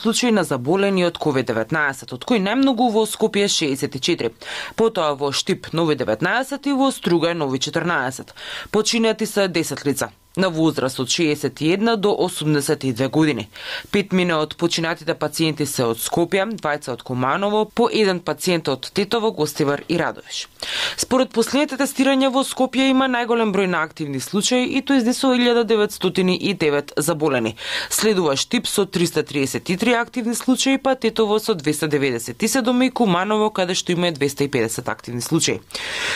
случаи на заболени од COVID-19, од кои најмногу во Скопје 64, потоа во Штип нови 19 и во Струга нови 14. Починати се 10 лица на возраст од 61 до 82 години. 5 од починатите пациенти се од Скопје, 2 од Куманово, по 1 пациент од Тетово, Гостивар и Радовиш. Според последните тестирања во Скопје има најголем број на активни случаи и тој изнесува 1909 заболени. Следува Штип со 333 активни случаи, па Тетово со 297 и Куманово каде што има 250 активни случаи.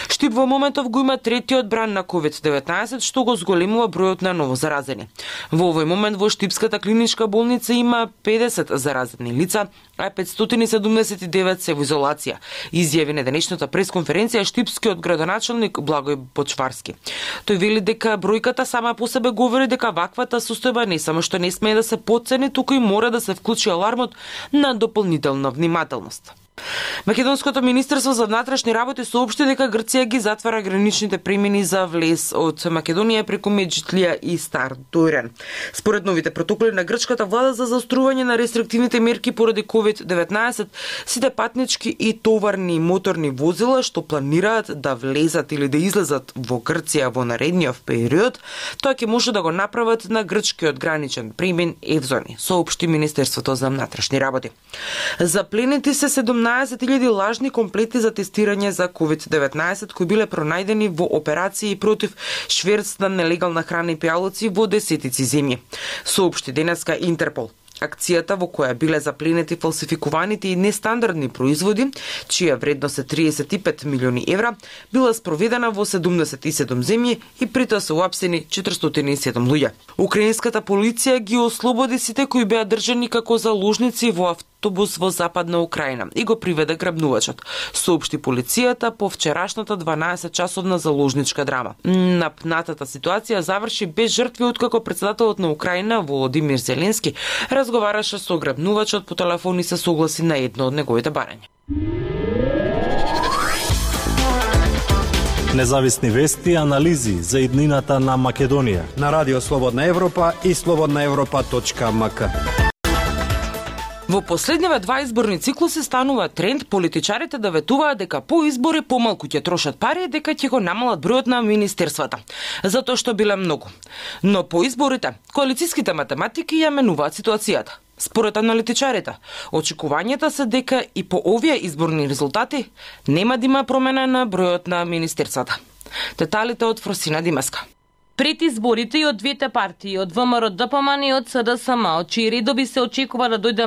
Штип во моментов го има третиот бран на COVID-19, што го зголемува бројот на ново заразени. Во овој момент во Штипската клиничка болница има 50 заразени лица, а 579 се во изолација, изјави на денешната пресконференција штипскиот градоначалник Благој Почварски. Тој вели дека бројката сама по себе говори дека ваквата состојба не само што не смее да се потцени, туку и мора да се вклучи алармот на дополнителна внимателност. Македонското министерство за внатрешни работи соопшти дека Грција ги затвара граничните премини за влез од Македонија преку Меджитлија и Стар Дојран. Според новите протоколи на грчката влада за заострување на рестриктивните мерки поради COVID-19, сите патнички и товарни моторни возила што планираат да влезат или да излезат во Грција во наредниот период, тоа ќе може да го направат на грчкиот граничен премин Евзони, соопшти Министерството за внатрешни работи. Запленети се 17.000 лажни комплети за тестирање за COVID-19 кои биле пронајдени во операции против шверц на нелегална храна и пијалоци во десетици земји, соопшти денеска Интерпол. Акцијата во која биле запленети фалсификуваните и нестандардни производи, чија вредност е 35 милиони евра, била спроведена во 77 земји и притоа се уапсени 407 луѓе. Украинската полиција ги ослободи сите кои беа држани како заложници во автобус во Западна Украина и го приведе грабнувачот, соопшти полицијата по вчерашната 12-часовна заложничка драма. Напнатата ситуација заврши без жртви откако претседателот на Украина Володимир Зеленски разговараше со грабнувачот по телефон и се согласи на едно од неговите барања. Независни вести и анализи за иднината на Македонија на Радио Слободна Европа и slobodnaevropa.mk. Во последниве два изборни циклуси станува тренд политичарите да ветуваат дека по избори помалку ќе трошат пари, дека ќе го намалат бројот на министерствата, затоа што биле многу. Но по изборите, коалицијските математики ја менуваат ситуацијата. Според аналитичарите, очекувањата се дека и по овие изборни резултати нема да има промена на бројот на министерствата. Деталите од Фросина Димеска. Пред изборите и од двете партии, од ВМРО ДПМН и од СДСМ, од чии редови се очекува да дојде